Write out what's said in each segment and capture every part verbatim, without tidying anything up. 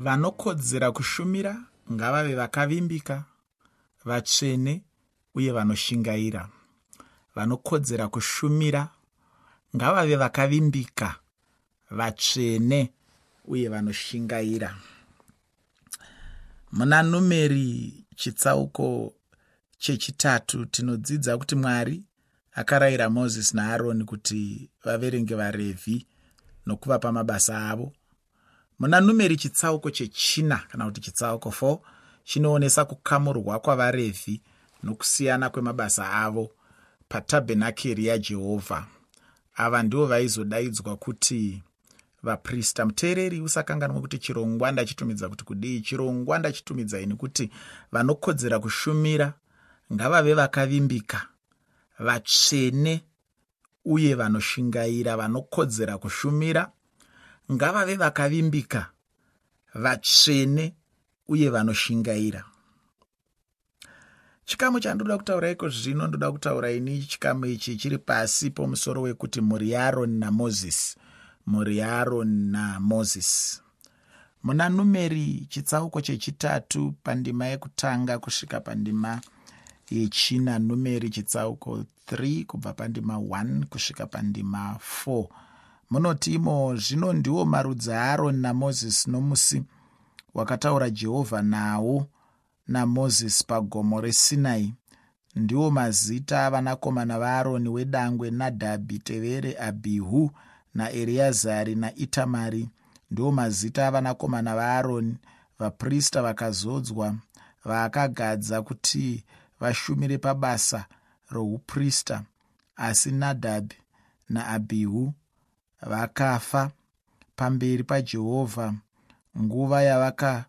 Vanokodzera kushumira ngavave vakavimbika, vatsvene uye vanoshingaira. Vanokodzera kushumira ngavave vakavimbika, vatsvene uye vanoshingaira. Muna Numeri chitsauko chechitatu tinodzidza kuti Mwari akarayira Mozisi naAroni kuti vaverenge vaRevhi nokuvapa mabasa avo. Muna Numeri chitsauko chechina kana kuti chitsauko four chinoonesa kukamurwa kwavaRevhi nokusiyana kwemabasa avo patabhenakeri yaJehovha. Ava ndivo vaizodaidzwa kuti vaprista. Muteereri, usakanganwa kuti chirongwa ndachitumidza kuti kudii. Chirongwa ndachitumidza ini kuti vanokodzera kushumira ngavave vakavimbika, vatsvene uye vanoshingaira. Vanokodzera kushumira ngavave vakavimbika, vatsvene uye vanoshingaira. Chikamu chandoda kutaura iko zvino, ndoda kutaura ini chikamu ichi chiri pasi pomusoro wekuti mhuri yaAroni naMozisi. Mhuri yaAroni naMozisi. Muna Numeri chitsauko chechitatu pandima yekutanga kusvika pandima yechina. Numeri chitsauko three kubva pandima one kusvika pandima four. Munoti imo, zvino ndiwo marudzi aAroni naMozisi nomusi wakataura Jehovha nawo naMozisi pagomo reSinai. Ndiwo mazita avanakomana vaAroni wedangwe Nadhabhi, tevere Abhihu naEreazari naItamari. Ndiwo mazita avanakomana vaAroni, vaprista vakazodzwa vaakagadza kuti vashumire pabasa rouprista. Asi Nadhabhi naAbhihu vakafa pamberi paJehovha nguva yavakauyisa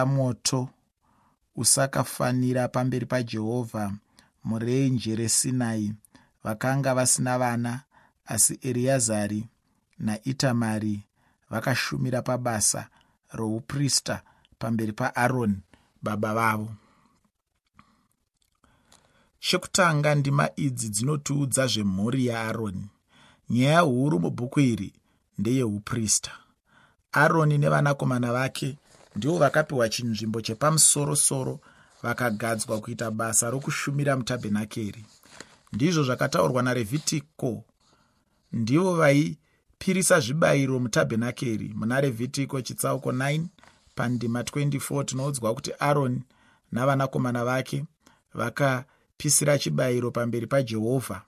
moto usakafanira pamberi paJehovha murenje reSinai. Vakanga vasina vana, asi Eriazari naItamari vakashumira pabasa rouprista pamberi paAroni baba vavo. Chekutanga, ndima idzi dzinotiudza zvemhuri yaAroni. Nyaya huru mubhuku iri ndeyeuprista. Aroni nevanakomana vake ndivo vakapiwa chinzvimbo chepamusoro-soro, vakagadzwa kuita basa rokushumira mutabhenakeri. Ndizvo zvakataurwa naRevhitiko. Ndivo vaipirisa zvibayiro mutabhenakeri. Muna Revhitiko chitsauko nine pandima twenty-four tinoudzwa kuti Aroni navanakomana vake vakapisira chibayiro pamberi paJehovha.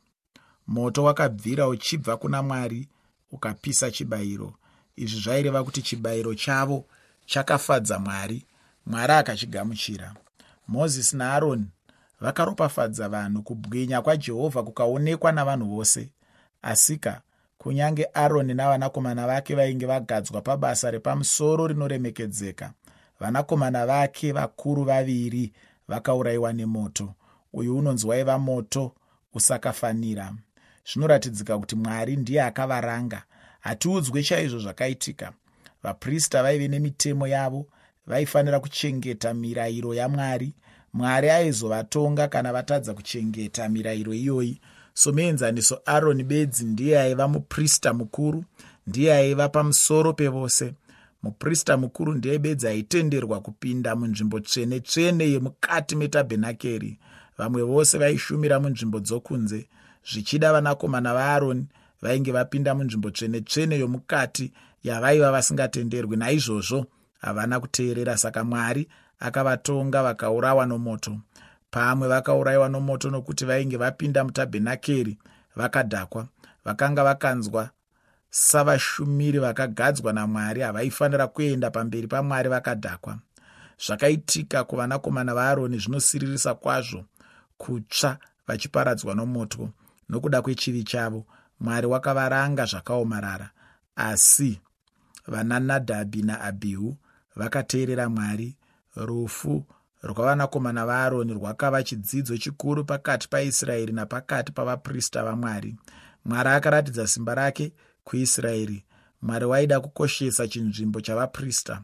Moto wakabvira uchibva kuna Mwari ukapisa chibayiro. Izvi zvaireva kuti chibayiro chavo chakafadza Mwari. Mwari akachigamuchira. Mozisi naAroni vakaropafadza vanhu, kubwinya kwaJehovha kukaonekwa navanhu vose. Asika kunyange Aroni navanakomana vake vainge vagadzwa pabasa repamusoro rinoremekedzeka, vanakomana vake vakuru vaviri vakaurayiwa nemoto. Uyu unonzi waiva moto usakafanira. Zvinoratidzika kuti Mwari ndiye akavaranga. Hatiudzwe chaizvo zvakaitika. Vaprista vaive nemitemo yavo, vaifanira kuchengeta mirayiro yaMwari. Mwari aizovatonga kana vatadza kuchengeta mirayiro iyoyi. Somuenzaniso, Aroni bedzi ndiye aiva muprista mukuru, ndiye aiva pamusoro pevose. Muprista mukuru ndiye bedzi aitenderwa kupinda munzvimbo tsvene tsvene yemukati metabhenakeri. Vamwe vose vaishumira munzvimbo dzokunze. Zvichida vanakomana vaAroni vainge vapinda munzvimbo tsvene tsvene yomukati yavaiva vasingatenderwi. Naizvozvo havana kuteerera, saka Mwari akavatonga vakaurawa nomoto. Pamwe vakaurayiwa nomoto nokuti vainge vapinda mutabhenakeri vakadhakwa. Vakanga vakanzwa savashumiri vakagadzwa naMwari, havaifanira kuenda pamberi paMwari vakadhakwa. Zvakaitika kuvanakomana vaAroni zvinosiririsa kwazvo, kutsva vachiparadzwa nomoto nokuda kwechivi chavo. Mwari wakavaranga zvakaomarara. Asi vanaNadhabhi naAbhihu vakateerera Mwari. Rufu rwavanakomana vaAroni rwakava chidzidzo chikuru pakati paIsraeri napakati pavaprista vaMwari. Mwari akaratidza simba rake kuIsraeri. Mwari waida kukoshesa chinzvimbo chavaprista.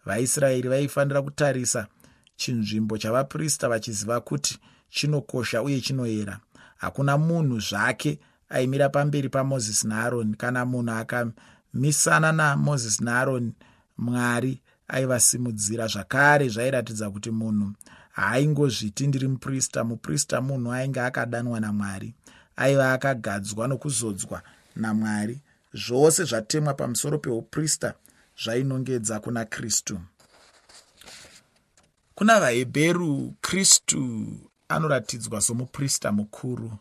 VaIsraeri vaifanira kutarisa chinzvimbo chavaprista vachiziva kuti chinokosha uye chinoyera. Hakuna munhu zvake aimira pamberi paMozisi naAroni. Kana munhu akamisana naMozisi naAroni, Mwari aivasimudzira. Zvakare zvairatidza kuti munhu haaingozviti ndiri muprista. Muprista munhu ainge akadanwa naMwari, aiva akagadzwa nokuzodzwa naMwari. Zvose zvatemwa pamusoro peuprista zvainongedza kuna Kristu. Kuna vaHebheru, Kristu anoratidzwa somuprista mukuru.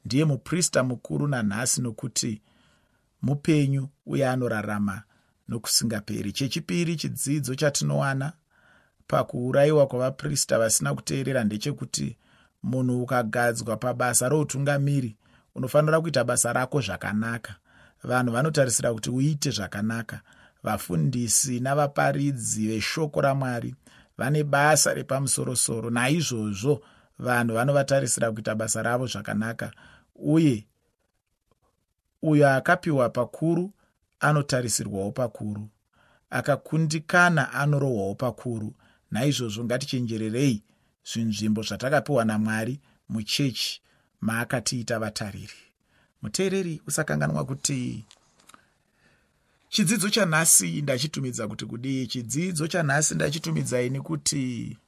Ndiye muprista mukuru nanhasi, nokuti mupenyu uye anorarama nokusingaperi. Chechipiri chidzidzo chatinowana pakuurayiwa kwavaprista vasina kuteerera ndechekuti munhu ukagadzwa pabasa routungamiri unofanira kuita basa rako zvakanaka. Vanhu vanotarisira kuti uite zvakanaka. Vafundisi navaparidzi veshoko raMwari vane basa repamusorosoro, naizvozvo vanhu vanovatarisira kuita basa ravo zvakanaka. Uye uyo akapiwa pakuru anotarisirwawo pakuru, akakundikana anorohwawo pakuru. Naizvozvo ngatichenjererei zvinzvimbo zvatakapiwa naMwari muchechi maakatiita vatariri. Muteereri, usakanganwa kuti chidzidzo chanhasi ndachitumidza kuti kudii. Chidzidzo chanhasi ndachitumidza ini kuti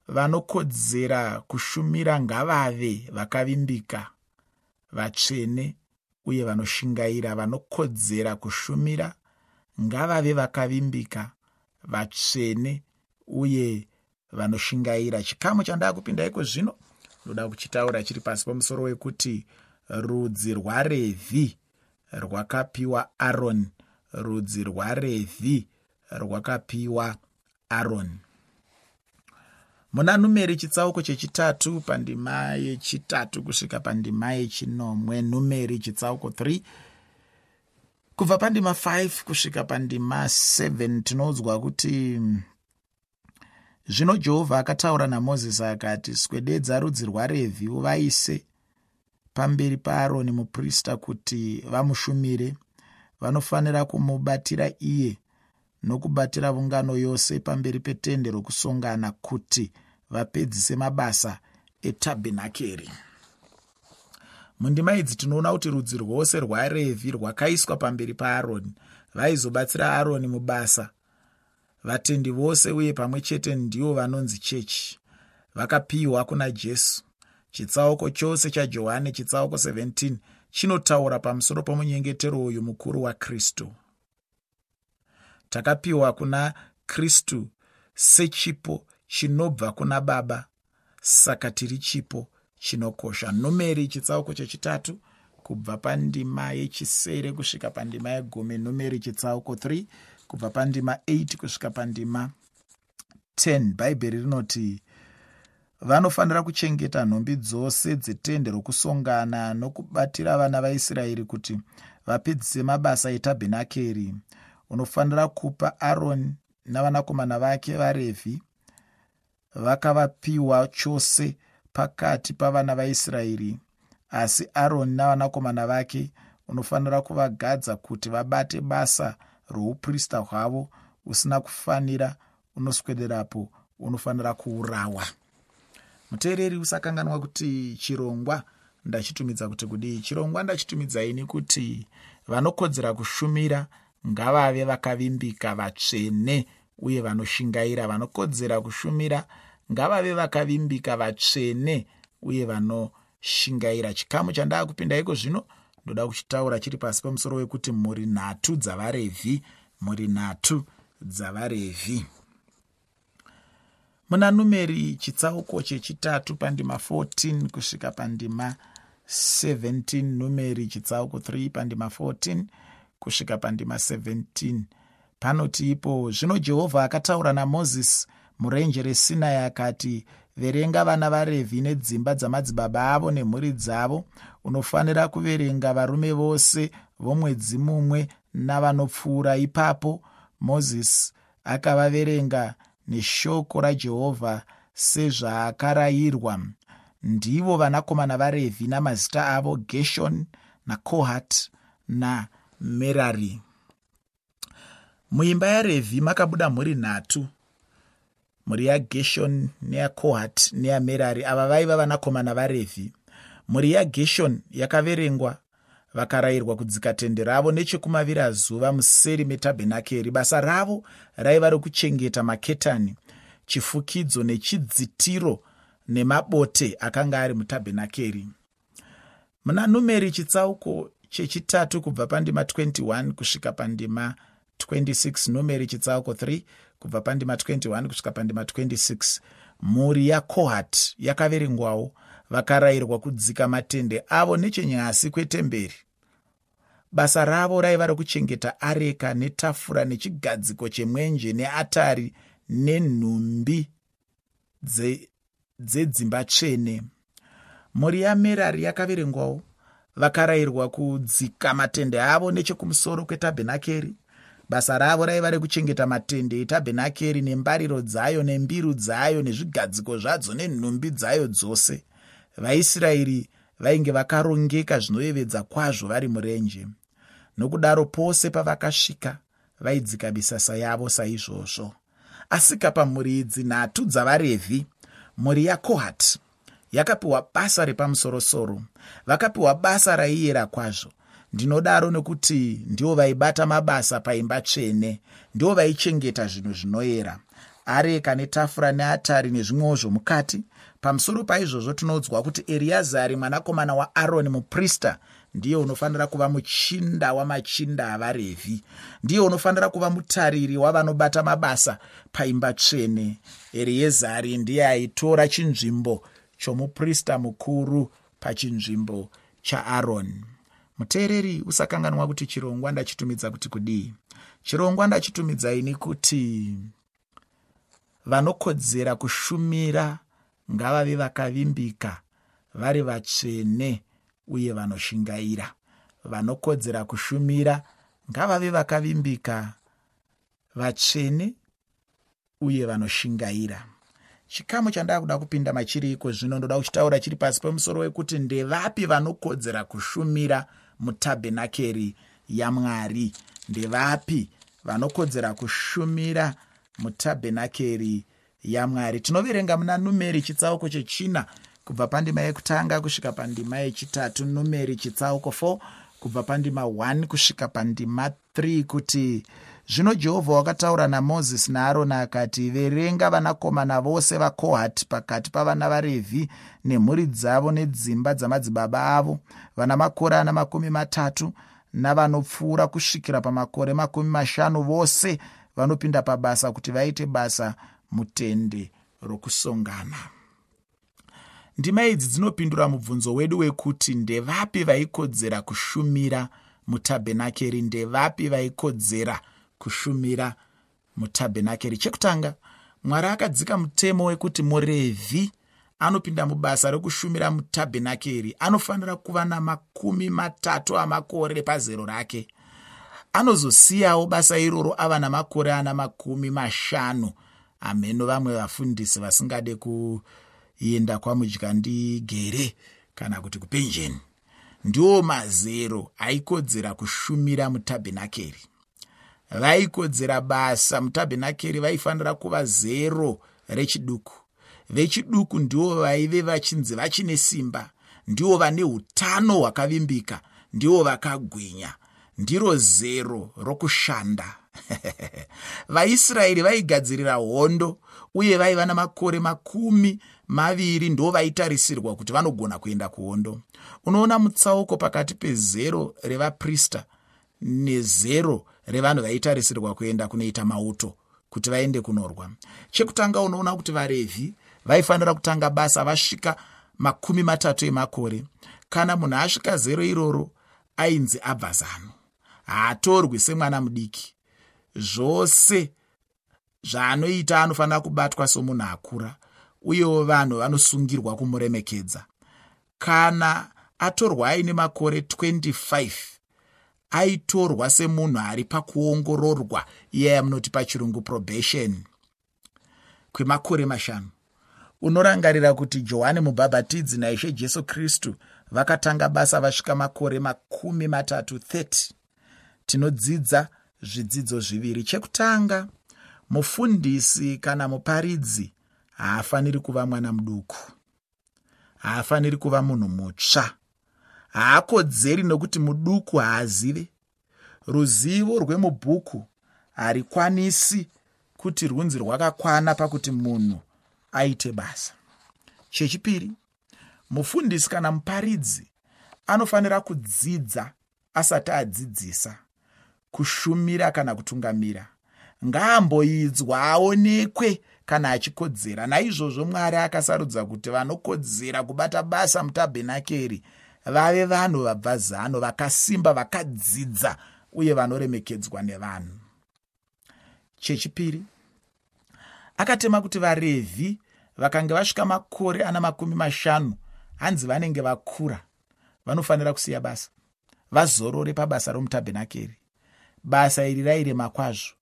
vanokodzera kushumira ngavave vakavimbika, vatsvene uye vanoshingaira. Vanokodzera kushumira ngavave vakavimbika, vatsvene uye vanoshingaira. Chikamu chandakupinda iko zvino ndoda kuchitaura chiri pasi pamusoro wekuti rudzi rwaRevhi rwakapiwa Aroni. Rudzi rwaRevhi rwakapiwa Aroni. Muna Numeri chitsauko chechitatu pandima yechitatu kusvika pandima yechinomwe. Numeri chitsauko three kubva pandima five kusvika pandima seven tinoudzwa kuti zvino Jehovha akataura naMozisi akati, swededza rudzi rwaRevhi uvaise pamberi paAroni muprista kuti vamushumire. Vanofanira kumubatira iye nokubatira ungano yose pamberi petende rokusongana kuti vapedzise mabasa etabhenakeri. Mundima idzi tinoona kuti rudzi rwose rwaRevhi rwakaiswa pamberi paAroni. Vaizobatsira Aroni mubasa vatendi vose, uye pamwe chete ndivo vanonzi chechi. Vakapiwa kuna Jesu. Chitsauko chose chaJohane chitsauko seventeen chinotaura pamusoro pomunyengetero uyu mukuru waKristu. Takapiwa kuna Kristu sechipo chinobva kuna Baba, saka tiri chipo chinokosha. Numeri chitsauko chechitatu kubva pandima yechisere kusvika pandima yegumi. Numeri chitsauko three kubva pandima eight kusvika pandima ten. Bhaibheri rinoti vanofanira kuchengeta nhumbi dzose dzetende rokusongana nokubatira vana vaIsraeri kuti vapedzise mabasa etabhenakeri. Unofanira kupa Aroni navanakomana vake vaRevhi vakavapiwa chose pakati pavana vaIsraeri. Asi Aroni navanakomana vake unofanira kuvagadza kuti vabate basa rouprista hwavo. Usina kufanira unoswederapo unofanira kuurawa. Muteereri, usakanganwa kuti chirongwa ndachitumidza kuti kudii. Chirongwa ndachitumidza ini kuti vanokodzera kushumira ngavave vakavimbika, vatsvene uye vanoshingaira. Vanokodzera kushumira ngavave vakavimbika, vatsvene uye vanoshingaira. Chikamu chandakupinda iko zvino ndoda kuchitaura chiri pasi pamusoro wekuti mhuri nhatu dzavaRevhi. Mhuri nhatu dzavaRevhi. Muna Numeri chitsauko chechitatu pandima fourteen kusvika pandima seventeen. Numeri chitsauko three pandima fourteen kusvika pandima seventeen. Panoti ipo, zvino Jehovha akataura naMozisi murenje reSinai akati, verenga vana vaRevhi nedzimba dzamadzibaba avo nemhuri dzavo. Unofanira kuverenga varume vose vomwedzi mumwe navanopfuura. Ipapo Mozisi akavaverenga neshoko raJehovha sezvaakarayirwa. Ndivo vanakomana vaRevhi namazita avo: Geshoni naKohati naMerari. Muimba yaRevhi makabuda mhuri nhatu, mhuri yaGeshoni neyaKohati neyaMerari. Ava vaiva vanakomana vaRevhi. Mhuri yaGeshoni yakaverengwa Vakarayirwa kudzika tende ravo nechekumavirazuva museri metabhenakeri. Basa ravo raiva rokuchengeta maketani, chifukidzo nechidzitiro nemabote akanga ari mutabhenakeri. Muna Numeri chitsauko chechitatu kubva pandima twenty-one kusvika pandima twenty-six, Numeri chitsauko three kubva pandima twenty-one kusvika pandima twenty-six, mhuri yaKohati yakaverengwawo. Vakarayirwa kudzika matende avo nechenyasi kwetemberi. Basa ravo raiva rokuchengeta areka netafura nechigadziko chemwenje neatari nenhumbi dzedzimba tsvene. Mhuri yaMerari yakaverengwawo. Vakarayirwa kudzika matende avo nechekumusoro kwetabhenakeri. Basa ravo raiva rekuchengeta matende etabhenakeri nembariro dzayo nembiru dzayo nezvigadziko zvadzo nenhumbi dzayo dzose. VaIsraeri vainge vakarongeka zvinoyevedza kwazvo vari murenje. Nokudaro pose pavakasvika vaidzika misasa yavo saizvozvo. Asika pamhuri idzi nhatu dzavaRevhi, mhuri yaKohati yakapiwa basa repamusorosoro. Vakapiwa basa raiyera kwazvo. Ndinodaro nekuti ndivo vaibata mabasa paimba tsvene, ndivo vaichengeta zvinhu zvinoyera, areka netafura neatari nezvimwewo zvomukati. Pamusoro paizvozvo tinoudzwa kuti Eriazari mwanakomana waAroni muprista ndiye unofanira kuva muchinda wamachinda avaRevhi, ndiye unofanira kuva mutariri wavanobata mabasa paimba tsvene. Eriezari ndiye aitora chinzvimbo chomuprista mukuru pachinzvimbo chaAroni. Muteereri, usakanganwa kuti chirongwa ndachitumidza kuti kudii. Chirongwa ndachitumidza ini kuti vanokodzera kushumira ngavave vakavimbika, vari vatsvene uye vanoshingaira. Vanokodzera kushumira ngavave vakavimbika, vatsvene uye vanoshingaira. Chikamu chandaa kuda kupinda machiri iko zvino ndoda kuchitaura chiri pasi pemusoro wekuti ndevapi vanokodzera kushumira mutabhenakeri yaMwari. Ndevapi vanokodzera kushumira mutabhenakeri yaMwari. Tinoverenga muna Numeri chitsauko chechina kubva pandima yekutanga kusvika pandima yechitatu. Numeri chitsauko four kubva pandima one kusvika pandima three kuti zvino Jehovha wakataura naMozisi naAroni akati, verenga vanakomana vose vaKohati pakati pavana vaRevhi nemhuri dzavo nedzimba dzamadzibaba avo, vana makore ana makumi matatu navanopfuura kusvikira pamakore makumi mashanu, vose vanopinda pabasa kuti vaite basa mutende rokusongana. Ndima idzi dzinopindura mubvunzo wedu wekuti ndevapi vaikodzera kushumira mutabhenakeri. Ndevapi vaikodzera kushumira mutabhenakeri. Chekutanga, Mwari akadzika mutemo wekuti muRevhi anopinda mubasa rekushumira mutabhenakeri anofanira kuva namakumi matatu amakore pazero rake. Anozosiyawo basa iroro ava namakore ana makumi mashanu. Ameno vamwe vafundisi vasingade kuenda kwamudyandigere kana kuti kupenjeni. Ndiwo mazero aikodzera kushumira mutabhenakeri. Vaikodzera basa mutabhenakeri vaifanira kuva zero rechiduku. Vechiduku ndivo vaive vachinzi vachine simba, ndivo vane utano hwakavimbika, ndivo vakagwinya. Ndiro zero rokushanda. VaIsraeri vaigadzirira hondo uye vaiva namakore makumi maviri ndo vaitarisirwa kuti vanogona kuenda kuhondo. Unoona mutsauko pakati pezero revaprista nezero revanhu vaitarisirwa kuenda kunoita mauto kuti vaende kunorwa. Chekutanga, unoona kuti vaRevhi vaifanira kutanga basa vasvika makumi matatu emakore. Kana munhu asvika zero iroro ainzi abva zano, haatorwi semwana mudiki. Zvose zvaanoita anofanira kubatwa somunhu akura, uyewo vanhu vanosungirwa kumuremekedza. Kana atorwa aine makore twenty-five aitorwa semunhu ari pakuongororwa, iye yamunoti pachirungu probation, kwemakore mashanu. Unorangarira kuti Johani Mubhabhatidzi naIshe Jesu Kristu vakatanga basa vasvika makore makumi matatu thirty. Tinodzidza zvidzidzo zviviri. Chekutanga, mufundisi kana muparidzi haafaniri kuva mwana muduku, haafaniri kuva munhu mutsva, Haakodzeri nokuti muduku, haazive. Ruzivo rwemubhuku harikwanisi kuti rwunzi rwakakwana pakuti munhu aite basa. Chechipiri, mufundisi kana muparidzi anofanira kudzidza asati adzidzisa, kushumira kana kutungamira. Ngaamboidzwa aonekwe kana achikodzera. Naizvozvo Mwari akasarudza kuti vanokodzera kubata basa mutabhenakeri vave vanhu vabva zano, vakasimba, vakadzidza uye vanoremekedzwa nevanhu. Chechipiri, akatema kuti vaRevhi vakange vasvika makore ana makumi mashanu, hanzi vanenge vakura, vanofanira kusiya basa, vazorore pabasa romutabhenakeri. Basa iri rairema kwazvo.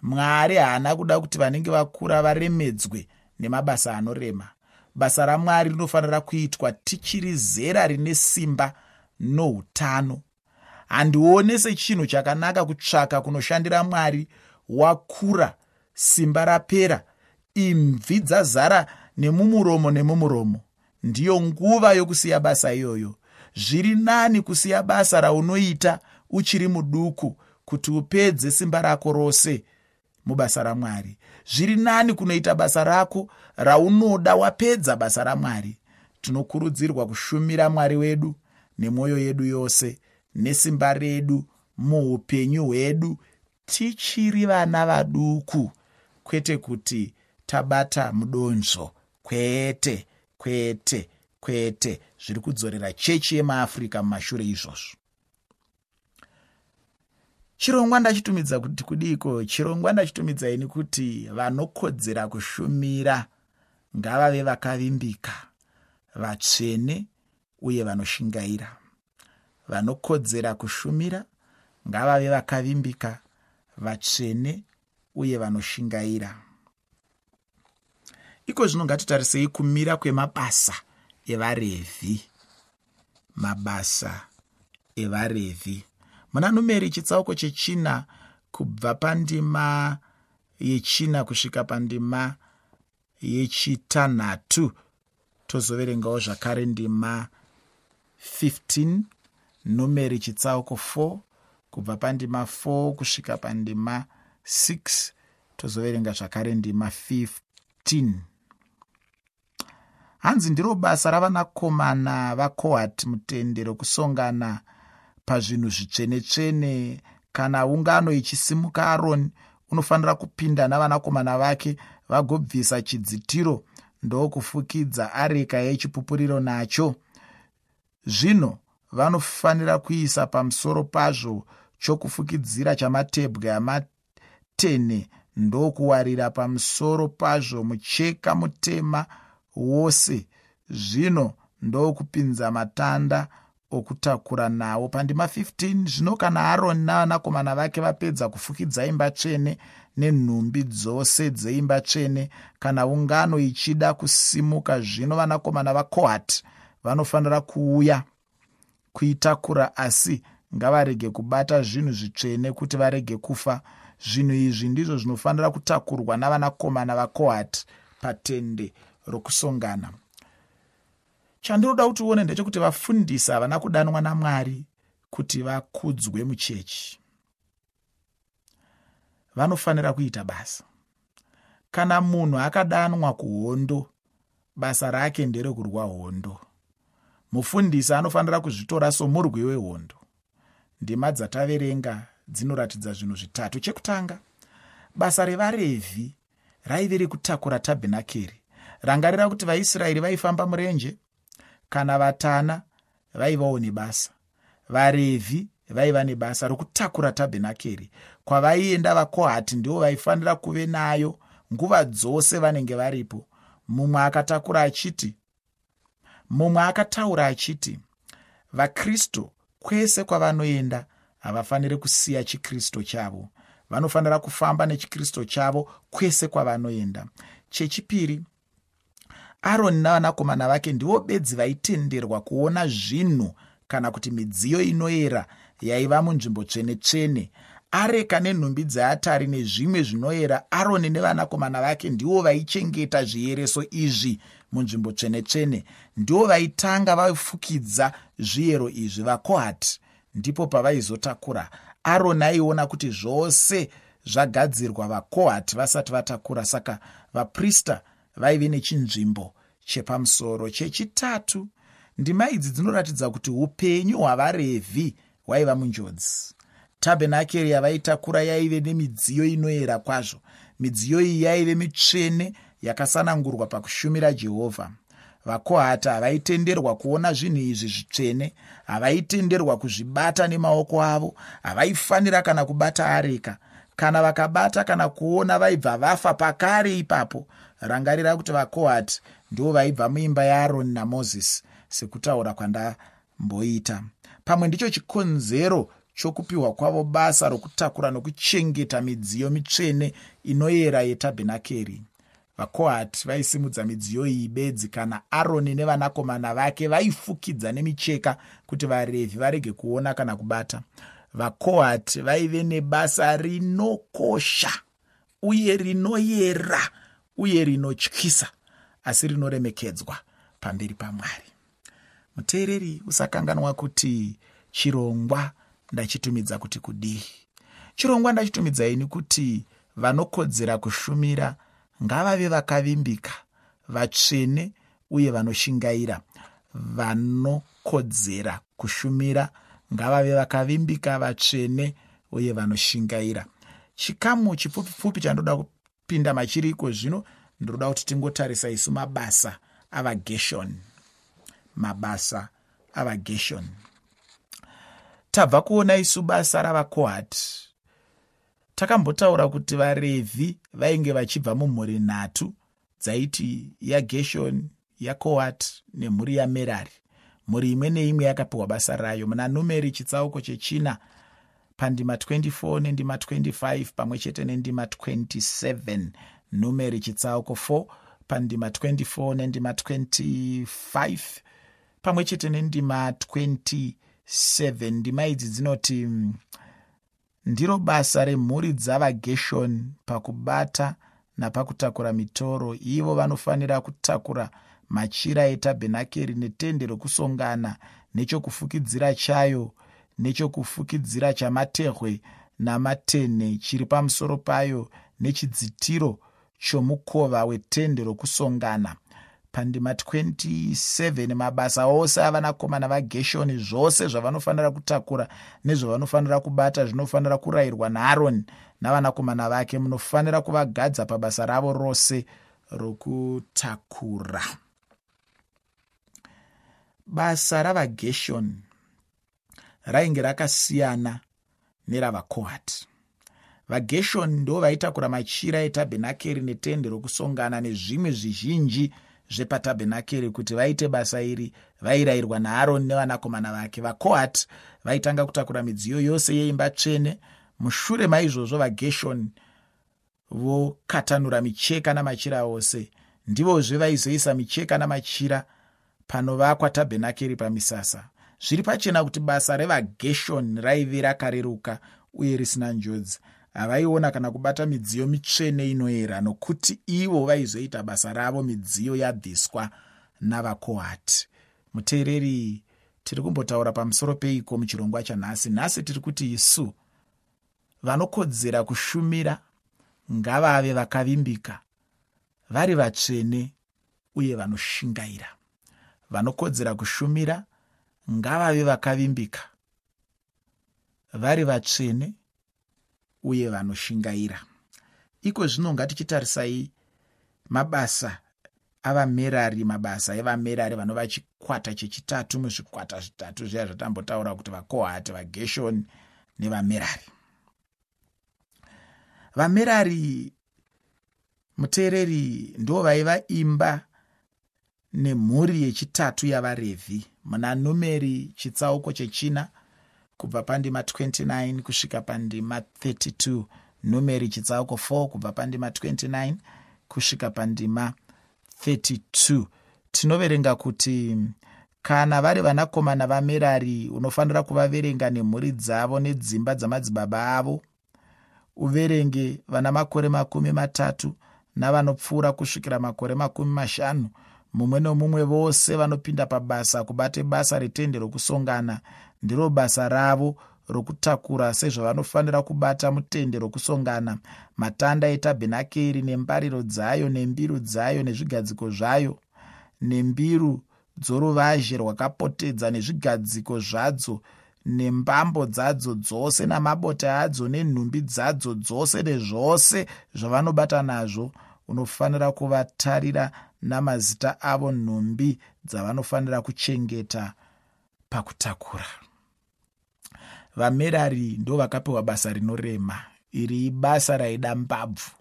Mwari haana kuda kuti vanenge vakura varemedzwe nemabasa anorema. Basa raMwari rinofanira kuitwa tichiri zera rine simba noutano. Handione sechinhu chakanaka kutsvaka kunoshandira Mwari wakura, simba rapera, imvi dzazara nemumuromo nemumuromo. Ndiyo nguva yokusiya basa iyoyo. Zviri nani kusiya basa raunoita uchiri muduku kuti upedze simba rako rose mubasa raMwari. Zviri nani kunoita basa rako raunoda wapedza basa raMwari. Tinokurudzirwa kushumira Mwari wedu nemwoyo yedu yose nesimba redu muupenyu hwedu tichiri vana vaduku, kwete kuti tabata mudonzvo. Kwete, kwete, kwete. Zviri kudzorera chechi yemaAfrica mumashure izvozvo. Chirongwa ndachitumidza kuti kudiko? Chirongwa ndachitumidza ini kuti vanokodzera kushumira ngavave vakavimbika, vatsvene uye vanoshingaira. Vanokodzera kushumira ngavave vakavimbika, vatsvene uye vanoshingaira. Iko zvino ngatitarisei kumira kwemabasa evaRevhi. Mabasa evaRevhi. Muna Numeri chitsauko chechina kubva pandima yechina kusvika pandima yechitanhatu, tozoverengawo zvakare ndima fifteen. Numeri chitsauko four kubva pandima four kusvika pandima six, tozoverenga zvakare ndima fifteen. Hanzi ndiro basa ravanakomana vaKohati mutende rokusongana pazvinhu zvitsvene-tsvene. Kana ungano ichisimuka, Aroni unofanira kupinda navanakomana vake vagobvisa chidzitiro ndokufukidza areka yechipupuriro nacho. Zvino vanofanira kuisa pamusoro pazvo chokufukidzira chamatebwe amatene ndokuwarira pamusoro pazvo mucheka mutema wose. Zvino ndokupinza matanda okutakura nawo. Pandima fifteen, zvino kana Aroni navanakomana vake vapedza kufukidza imba tsvene nenhumbi dzose dzeimba tsvene, kana ungano ichida kusimuka, zvino vanakomana vaKohati vanofanira kuuya kuitakura, asi ngavarege kubata zvinhu zvitsvene kuti varege kufa. Zvinhu izvi ndizvo zvinofanira kutakurwa navanakomana vaKohati patende rokusongana. Chandinoda kuti uone ndechekuti vafundisi havana kudanwa naMwari kuti vakudzwe muchechi. Vanofanira kuita basa. Kana munhu akadanwa kuhondo, basa rake nderekurwa hondo. Mufundisi anofanira kuzvitora somurwi wehondo. Ndima dzataverenga dzinoratidza zvinhu zvitatu. Chekutanga, basa revaRevhi raive rekutakura tabhenakeri. Rangarira kuti vaIsraeri vaifamba murenje, kana vatana vaivawo nebasa. VaRevhi vaiva nebasa rokutakura tabhenakeri. Kwavaienda vaKohati ndivo vaifanira kuve nayo nguva dzose vanenge varipo. Mumwe akatakura achiti, mumwe akataura achiti, vaKristu kwese kwavanoenda havafaniri kusiya chiKristu chavo. Vanofanira kufamba nechiKristu chavo kwese kwavanoenda. Chechipiri, Aroni navanakomana vake ndivo bedzi vaitenderwa kuona zvinhu kana kuti midziyo inoera yaiva munzvimbo tsvene-tsvene. Areka nenhumbi dzeatari nezvimwe zvinoyera, Aroni nevanakomana vake ndivo vaichengeta zviyereso izvi munzvimbo tsvene-tsvene. Ndivo vaitanga vafukidza zviyero izvi. VaKohati ndipo pavaizotakura. Aroni aiona kuti zvose zvagadzirwa vaKohati vasati vatakura. Saka vaprista vaive nechinzvimbo chepamusoro. Chechitatu, ndima idzi dzinoratidza kuti upenyu hwavaRevhi hwaiva munjodzi. Tabhenakeri yavaitakura yaive nemidziyo inoyera kwazvo. Midziyo iyi yaive mitsvene yakasanangurwa pakushumira Jehovha. VaKohati havaitenderwa kuona zvinhu izvi zvitsvene, havaitenderwa kuzvibata nemaoko avo, havaifanira kana kubata areka. Kana vakabata kana kuona vaibva vafa pakare ipapo. Rangarira kuti vaKohati ndivo vaibva muimba yaAroni naMozisi, sekutaura kwandamboita. Pamwe ndicho chikonzero chokupiwa kwavo basa rokutakura nokuchengeta midziyo mitsvene inoyera yetabhenakeri. VaKohati vaisimudza midziyo iyi bedzi kana Aroni nevanakomana vake vaifukidza nemicheka kuti vaRevhi varege kuona kana kubata. VaKohati vaive nebasa rinokosha uye rinoyera uye rinotyisa, asi rinoremekedzwa pamberi paMwari. Muteereri, usakanganwa kuti chirongwa ndachitumidza kuti kudii. Chirongwa ndachitumidza ini kuti vanokodzera kushumira ngavave vakavimbika, vatsvene uye vanoshingaira. Vanokodzera kushumira ngavave vakavimbika, vatsvene uye vanoshingaira. Chikamu chipfupi-pfupi chandoda kupinda machiri iko zvino, ndinoda kuti tingotarisa isu mabasa avaGeshoni. Mabasa avaGeshoni. Tabva kuona isu basa ravaKohati. Takambotaura kuti vaRevhi vainge vachibva mumhuri nhatu dzaiti yaGeshoni, yaKohati nemhuri yaMerari. Mhuri imwe neimwe yakapiwa basa rayo. Muna Numeri chitsauko chechina pandima twenty four nendima twenty five pamwe chete nendima twenty seven. Numeri chitsauko four pandima twenty four nendima twenty five pamwe chete nendima twenty seven. Ndima idzi dzinoti: ndiro basa remhuri dzavaGeshoni pakubata napakutakura mitoro. Ivo vanofanira kutakura machira etabhenakeri netende rokusongana nechokufukidzira chayo, nechokufukidzira chamatehwe namatene chiri pamusoro payo, nechidzitiro chomukova wetende rokusongana. Pandima twenty seven, mabasa ose avanakomana vaGeshoni, zvose zvavanofanira kutakura nezvavanofanira kubata zvinofanira kurayirwa naAroni navanakomana vake. Munofanira kuvagadza pabasa ravo rose rokutakura. Basa ravaGeshoni rainge rakasiyana neravaKohati. VaGeshoni ndo vaitakura machira etabhenakeri netende rokusongana nezvimwe zvizhinji zvepatabhenakeri. Kuti vaite basa iri vairayirwa naAroni nevanakomana vake. VaKohati vaitanga kutakura midziyo yose yeimba tsvene. Mushure maizvozvo vaGeshoni vokatanura micheka namachira ose. Ndivozve vaizoisa micheka namachira panovakwa tabhenakeri pamisasa. Zviri pachena kuti basa revaGeshoni raive rakareruka uye risina njodzi. Havaiona kana kubata midziyo mitsvene inoyera, nokuti ivo vaizoita basa ravo midziyo yabviswa navaKohati. Muteereri, tiri kumbotaura pamusoro peiko muchirongwa chanhasi? Nhasi tiri kuti isu vanokodzera kushumira ngavave vakavimbika, vari vatsvene uye vanoshingaira. Vanokodzera kushumira ngavave vakavimbika, vari vatsvene uye vanoshingaira. Iko zvino ngatichitarisai mabasa avaMerari, mabasa evaMerari vanova chikwata chechitatu muzvikwata zvitatu zviya zvatambotaura kuti vaKohati, vaGeshoni nevaMerari. VaMerari, muteereri, ndo vaiva imba nemhuri yechitatu yavaRevhi. Muna Numeri chitsauko chechina kubva pandima twenty nine kusvika pandima thirty two. Numeri chitsauko four kubva pandima twenty nine kusvika pandima thirty two. Tinoverenga kuti kana vari vanakomana vaMerari unofanira kuvaverenga nemhuri dzavo nedzimba dzamadzibaba avo. Uverenge vana makore makumi matatu navanopfuura kusvikira makore makumi mashanu, mumwe nomumwe vose vanopinda pabasa kubate basa retende rokusongana. Ndiro basa ravo rokutakura sezvavanofanira kubata mutende rokusongana, matanda etabhenakeri nembariro dzayo nembiru dzayo nezvigadziko zvayo, nembiru dzoruvazhe rwakapotedza nezvigadziko zvadzo, nembambo dzadzo dzose namabote adzo nenhumbi dzadzo dzose nezvose zvavanobata nazvo. Unofanira kuvatarira namazita avo nhumbi dzavanofanira kuchengeta pakutakura. VaMerari ndo vakapiwa basa rinorema. Iri ibasa raida mbabvu.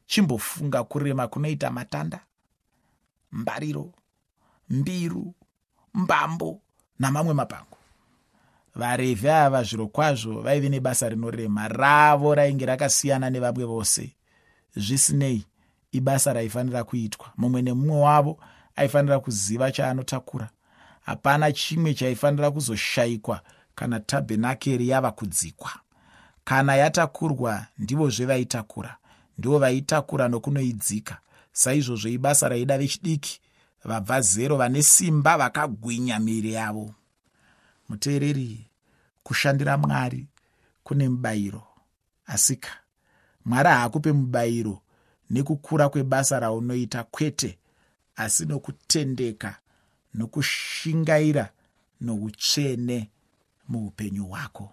Chimbofunga kurema kunoita matanda, mbariro, mbiru, mbambo namamwe mapango. VaRevhi ava zvirokwazvo vaive nebasa rinorema. Ravo rainge rakasiyana nevamwe vose. Zvisinei, ibasa raifanira kuitwa. Mumwe nemumwe wavo aifanira kuziva chaanotakura. Hapana chimwe chaifanira kuzoshayikwa kana tabhenakeri yava kudzikwa. Kana yatakurwa, ndivozve vaitakura, ndivo vaitakura nokunoidzika. Saizvozvo ibasa raida vechidiki vabva zero, vane simba, vakagwinya miviri yavo. Muteereri, kushandira Mwari kune mubayiro. Asika Mwari haakupe mubayiro nekukura kwebasa raunoita, kwete, asi nokutendeka, nokushingaira, noutsvene muupenyu hwako.